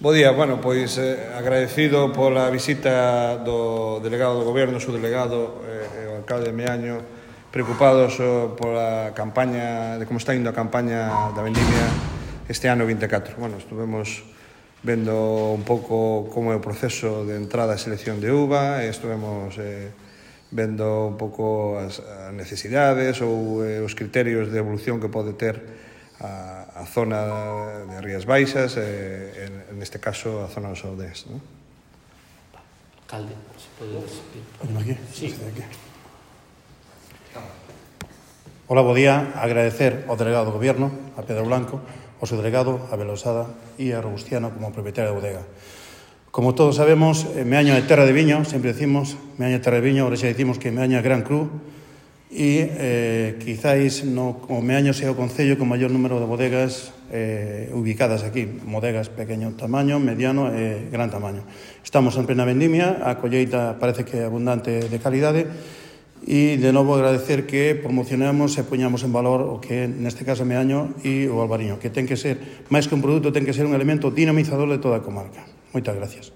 Bo día, bueno, pois agradecido pola visita do delegado do Goberno, o subdelegado e o alcalde de Meaño, preocupados pola campaña, de como está indo a campaña da vendimia este ano 24. Bueno, estuvemos vendo un pouco como é o proceso de entrada e selección de uva, estuvemos vendo un pouco as necesidades ou os criterios de evolución que pode ter a zona de Rías Baixas, en este caso a zona dos Saudés, ¿no? Alcalde, se pode decir. Ponemos aquí? Sí. Hola, bo día. Agradecer ao delegado do Goberno, a Pedro Blanco, ao subdelegado, a Belosada e a Robustiano como propietario da bodega. Como todos sabemos, Meaño é terra de viño, sempre decimos, Meaño é terra de viño, ahora xa decimos que Meaño é Gran Cru, e quizáis o Meaño sea o concello con maior número de bodegas ubicadas aquí, bodegas pequeño tamaño, mediano e gran tamaño. Estamos en plena vendimia, a colleita parece que é abundante de calidade, e de novo agradecer que promocionamos e poñamos en valor o que é neste caso Meaño e o Albariño, que ten que ser, máis que un produto, ten que ser un elemento dinamizador de toda a comarca. Moitas gracias.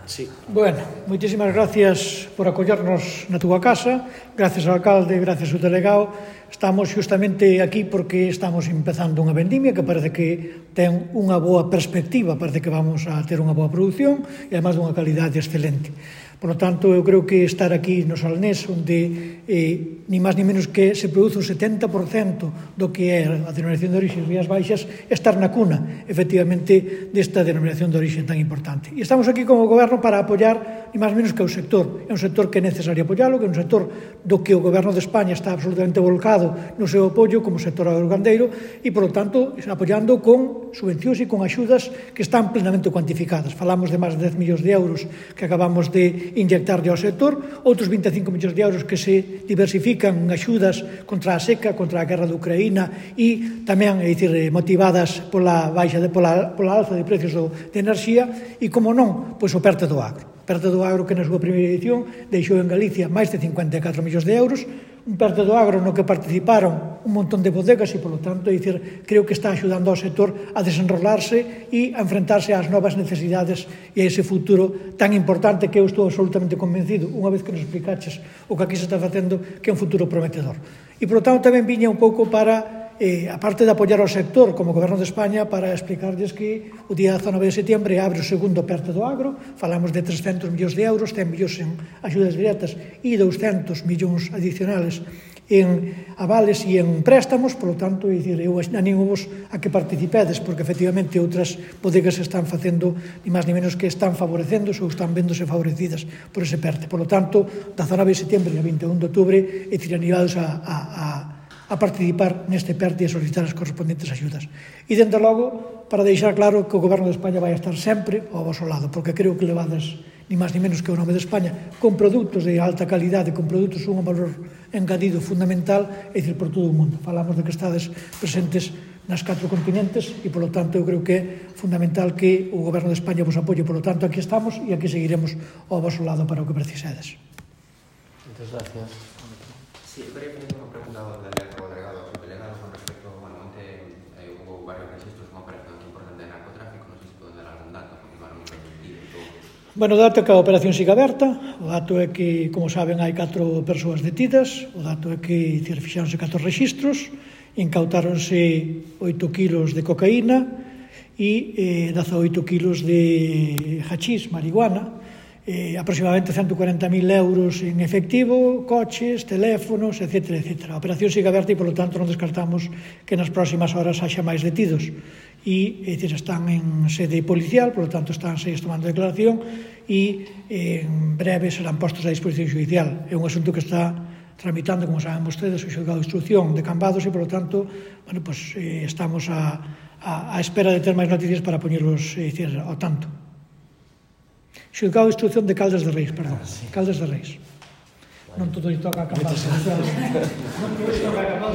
Sí. Bueno, moitísimas gracias por acollernos na túa casa, gracias ao alcalde, gracias ao delegado. Estamos xustamente aquí porque estamos empezando unha vendimia que parece que ten unha boa perspectiva, parece que vamos a ter unha boa produción e además dunha calidade excelente. Por lo tanto, eu creo que estar aquí no Salnés, onde ni máis ni menos que se produce o 70% do que é a denominación de orixe Rías Baixas, estar na cuna, efectivamente, desta denominación de orixe tan importante. E estamos aquí como Goberno para apoiar ni máis ni menos que o sector. É un sector que é necesario apoialo, que é un sector do que o Goberno de España está absolutamente volcado no seu apoio como sector agrogandeiro e, por lo tanto, apoiando con subvencións e con axudas que están plenamente cuantificadas. Falamos de máis de 10 millóns de euros que acabamos de inyectarlle ao sector, outros 25 millóns de euros que se diversifican en axudas contra a seca, contra a guerra de Ucraína e tamén, é dicir, motivadas pola alza de precios de enerxía e, como non, pois o PERTE do agro. PERTE do agro que na súa primeira edición deixou en Galicia máis de 54 millóns de euros, un PERTE do agro no que participaron un montón de bodegas e, polo tanto, é dicir, creo que está axudando ao sector a desenrolarse e a enfrentarse ás novas necesidades e a ese futuro tan importante que eu estou absolutamente convencido, unha vez que nos explicaches o que aquí se está facendo, que é un futuro prometedor. E, polo tanto, tamén viña un pouco para a parte de apoiar ao sector como Goberno de España para explicarles que o día 19 de setembro abre o segundo PERTE do agro, falamos de 300 millóns de euros, 100 millóns en axudas directas e 200 millóns adicionales en avales e en préstamos, polo tanto, eu anímovos a que participedes, porque efectivamente outras bodegas están facendo ni máis ni menos que están favorecéndose ou están vendose favorecidas por ese PERTE. Por lo tanto, 19 de setembro e 21 de outubro animados a participar neste PERTE e a solicitar as correspondentes axudas. E, dende logo, para deixar claro que o Goberno de España vai estar sempre ao vosso lado, porque creo que levades ni máis ni menos que o nome de España con produtos de alta calidade, con produtos un valor engadido fundamental, é dicir, por todo o mundo. Falamos de que estades presentes nas 4 continentes e, polo tanto, eu creo que é fundamental que o Goberno de España vos apoie. Por lo tanto, aquí estamos e aquí seguiremos ao vosso lado para o que precisedes. Moitas gracias. Sí, quería fazer unha pregunta ao delegado ao subdelegado con respecto, bueno, onte hubo varios registros con operación aquí importante de narcotráfico, non sei se poden dar algún dato, continuaron un permitido e todo. Bueno, o dato é que a operación siga aberta, o dato é que, como saben, hai 4 persoas detidas, o dato é que fixáronse 4 registros, incautáronse 8 kilos de cocaína e 18 kilos de hachís, marihuana, aproximadamente 140.000 euros en efectivo, coches, teléfonos, etc. etc. A operación sigue aberta e, polo tanto, non descartamos que nas próximas horas haxa máis detidos. E, están en sede policial, polo tanto, están tomando declaración e en breve serán postos a disposición judicial. É un asunto que está tramitando, como saben vostedes, o xulgado de instrucción de Cambados e, polo tanto, bueno, pues, estamos a espera de ter máis noticias para poñerlos ao tanto. Xulgado de instrucción de Caldas de Reis, perdón. Caldas de Reis. Non todo lle toca a Cambados. Non todo lle toca a Cambados.